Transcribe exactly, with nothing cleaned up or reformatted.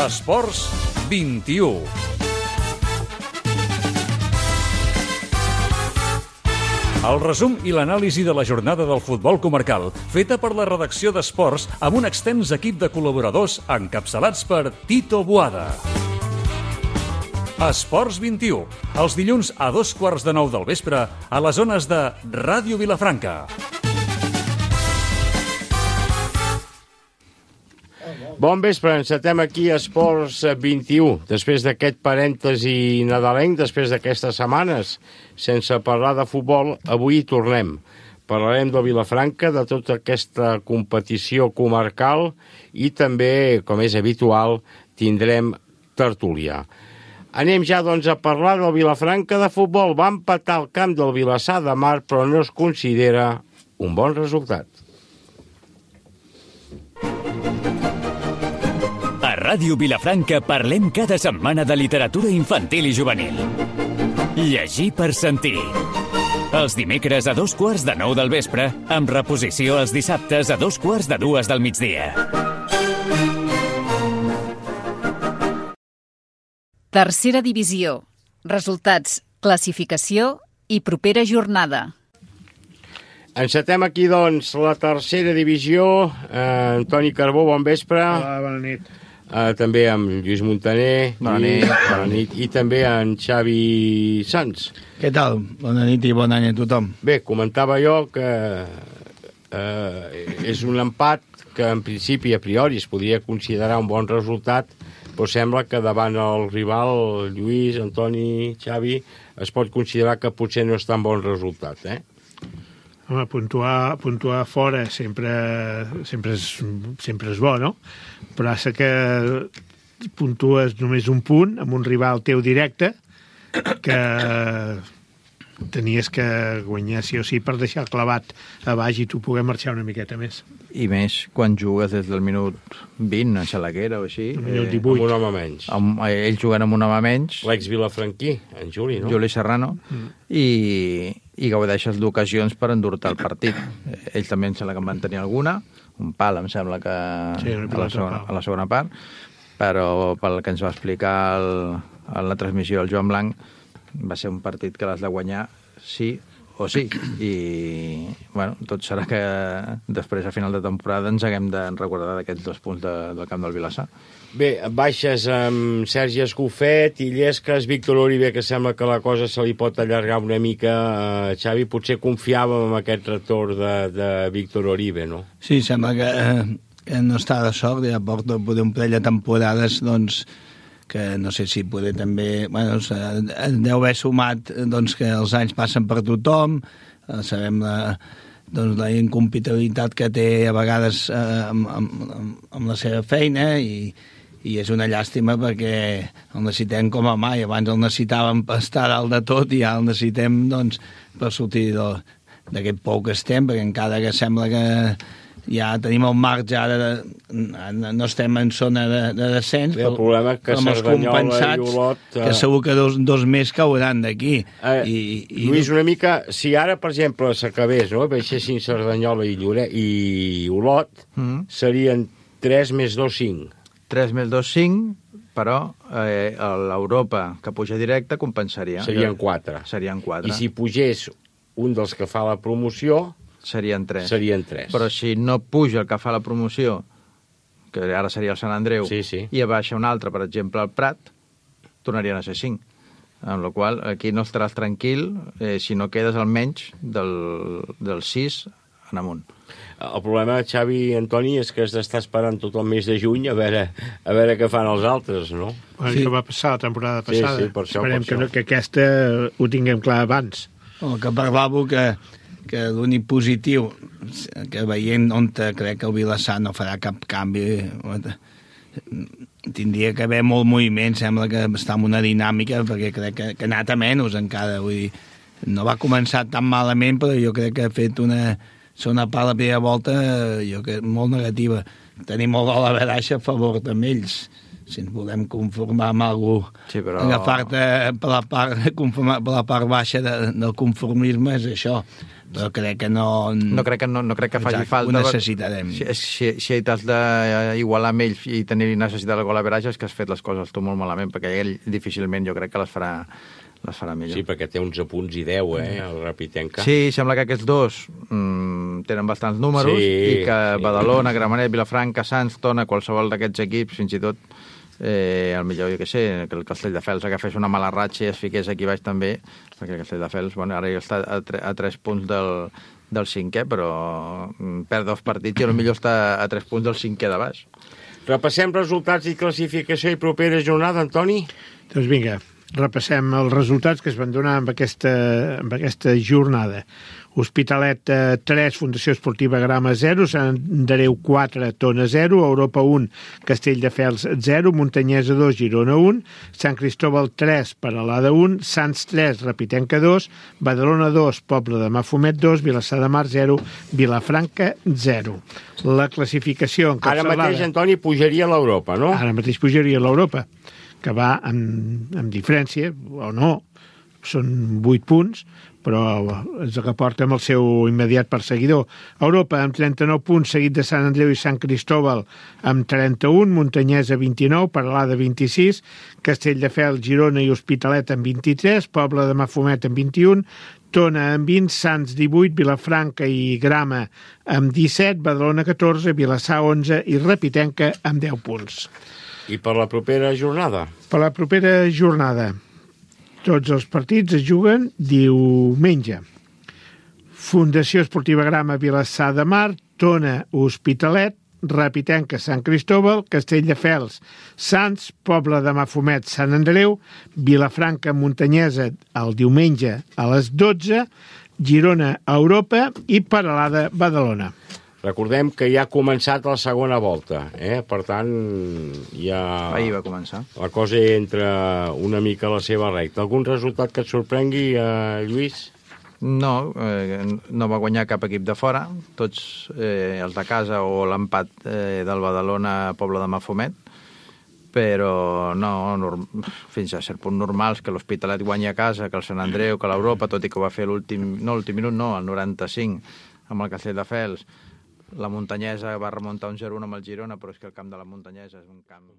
Esports vint-i-u. El resum i l'anàlisi de la jornada del futbol comarcal, feta per la redacció d'Esports amb un extens equip de col·laboradors encapçalats per Tito Boada. Esports vint-i-u, els dilluns a dos quarts de nou del vespre a les zones de Ràdio Vilafranca. Bon vespre, encetem aquí Esports vint-i-u. Després d'aquest parèntesi nadalenc, després d'aquestes setmanes sense parlar de futbol, avui hi tornem. Parlarem de Vilafranca, de tota aquesta competició comarcal i també, com és habitual, tindrem tertúlia. Anem ja, doncs, a parlar del Vilafranca de futbol. Va empatar el camp del Vilassar de Mar, però no es considera un bon resultat. A Ràdio Vilafranca parlem cada setmana de literatura infantil i juvenil. Llegir per sentir. Els dimecres a dos quarts de nou del vespre, amb reposició els dissabtes a dos quarts de dues del migdia. Tercera divisió. Resultats, classificació i propera jornada. Encetem aquí, doncs, la tercera divisió. Eh, Antoni Carbó, bon vespre. Hola, bona nit. Eh, també amb Lluís Montaner. Bona nit. I, bona nit. I també en Xavi Sans. Què tal? Bona nit i bon any a tothom. Bé, comentava jo que eh, és un empat que en principi a priori es podria considerar un bon resultat, però sembla que davant el rival, Lluís, Antoni, Xavi, es pot considerar que potser no és tan bon resultat, eh? Home, puntuar, puntuar fora sempre, sempre, és, sempre és bo, no? Però és que puntues només un punt amb un rival teu directe que tenies que guanyar sí o sí per deixar clavat a baix i tu poder marxar una miqueta més. I més quan jugues des del minut vint a Xalaguera o així. El minut divuit. Amb un home menys. Amb, ells juguen amb un home menys. L'ex-vilafranquí, en Juli, no? Juli Serrano. Mm. I, i gaudeixes d'ocasions per endur-te el partit. Ells també em sembla que en van tenir alguna. Un pal, em sembla que sí, a, la segona, a la segona part. Però pel que ens va explicar el, a la transmissió del Joan Blanc, va ser un partit que l'has de guanyar sí o sí. I, bueno, tot serà que després, a final de temporada, ens haguem de recordar d'aquests dos punts de, del camp del Vilassar. Bé, baixes amb Sergi Escofet i Llesques, Víctor Oribe, que sembla que la cosa se li pot allargar una mica. Uh, Xavi, potser confiàvem en aquest retorn de, de Víctor Oribe, no? Sí, sembla que, eh, que no està de sort, ja porta un parell de temporades, doncs, que no sé si poder també... Bueno, deu haver sumat doncs, que els anys passen per tothom, eh, sabem la, doncs, la incompatibilitat que té a vegades eh, amb, amb, amb la seva feina i, i és una llàstima perquè el necessitem com a mai. Abans el necessitàvem per estar dalt de tot i ja el necessitem doncs, per sortir d'aquest pou que estem, perquè encara que sembla que ja tenim el marge, ara no estem en zona de, de descens, Bé, el problema que Cerdanyola i Olot... Uh... que segur que dos, dos més cauran d'aquí. Uh, I, i... Lluís, una mica, si ara, per exemple, s'acabés, no?, baixessin Cerdanyola i, Llore, i Olot, mm. serien tres més dos, cinc. tres més dos, cinc, però eh, l'Europa que puja directe compensaria. Serien quatre. Serien quatre. I si pugés un dels que fa la promoció... Serien tres. Serien tres. Però si no puja el que fa la promoció, que ara seria el Sant Andreu, sí, sí. i baixa un altre, per exemple, el Prat, tornarien a ser cinc. Amb la qual aquí no estaràs tranquil eh, si no quedes almenys del, del sis en amunt. El problema, Xavi i Antoni, és que has d'estar esperant tot el mes de juny a veure, a veure què fan els altres, no? Bueno, sí. Això va passar la temporada passada. Sí, sí, per això, Esperem per que, això. no, que aquesta ho tinguem clar abans. El que parlava que que l'únic positiu que veient on crec que el Vilassar no farà cap canvi, tindria que haver molt moviment, sembla que està en una dinàmica, perquè crec que, que ha anat a menys encara, vull dir, no va començar tan malament, però jo crec que ha fet una segona part la primera volta, jo crec, molt negativa. Tenim el gol a veraixa a favor també ells, si ens volem conformar amb algú, sí, però... agafar-te per la part, conformar, per la part baixa de, del conformisme és això. però crec que no... No crec que, no, no crec que faci Exacte, falta. ho necessitarem. Si, si, si t'has d'igualar amb ell i tenir necessitat el gol a veratge, és que has fet les coses tu molt malament, perquè ell difícilment jo crec que les farà, les farà millor. Sí, perquè té onze punts i deu, eh, el Rapitenca. Sí, sembla que aquests dos mm, tenen bastants números, Sí, i que sí. Badalona, Gramenet, Vilafranca, Sants, Tona, qualsevol d'aquests equips, fins i tot eh, el millor, jo què sé, que el Castelldefels agafés una mala ratxa i es fiqués aquí baix també, perquè el Castelldefels, bueno, ara ja està a, tre a tres punts del, del cinquè, però mm, perd dos partits i potser està a tres punts del cinquè de baix. Repassem resultats i classificació i propera jornada, Antoni? Doncs vinga, repassem els resultats que es van donar amb aquesta, amb aquesta jornada. Hospitalet eh, tres, Fundació Esportiva Grama zero, Sant Andreu quatre, Tona zero, Europa un, Castelldefels zero, Muntanyesa dos, Girona un, Sant Cristóbal tres, Peralada un, Sants tres, Rapitenca dos, Badalona dos, Poble de Mafumet dos, Vilassar de Mar zero, Vilafranca zero. La classificació encapçalada... Ara mateix, Antoni, pujaria a l'Europa, no? Ara mateix pujaria a l'Europa, que va amb, amb diferència, o no, són vuit punts, però és el que porta amb el seu immediat perseguidor. Europa amb trenta-nou punts, seguit de Sant Andreu i Sant Cristóbal amb trenta-un, Muntanyesa vint-i-nou, Peralada vint-i-sis, Castelldefels, Girona i Hospitalet amb vint-i-tres, Poble de Mafumet amb vint-i-un, Tona amb vint, Sants divuit, Vilafranca i Grama amb disset, Badalona catorze, Vilassar onze i Rapitenca amb deu punts. I per la propera jornada? Per la propera jornada, tots els partits es juguen diumenge. Fundació Esportiva Grama, Vilassar de Mar, Tona, Hospitalet, Rapitenca, Sant Cristóbal, Castelldefels, Sants, Poble de Mafumet, Sant Andreu, Vilafranca, Muntanyesa, el diumenge a les dotze, Girona, Europa i Peralada, Badalona. Recordem que ja ha començat la segona volta, eh? Per tant, ja... Ahir va començar. La cosa entra una mica a la seva recta. Algun resultat que et sorprengui, eh, Lluís? No, eh, no va guanyar cap equip de fora, tots eh, els de casa o l'empat eh, del Badalona Poble de Mafumet, però no, norm... fins a cert punt normals, que l'Hospitalet guanyi a casa, que el Sant Andreu, que l'Europa, tot i que ho va fer l'últim, no l'últim minut, no, el noranta-cinc, amb el Castelldefels. La Muntanyesa va remuntar un zero a un amb el Girona, però és que el camp de la Muntanyesa és un camp...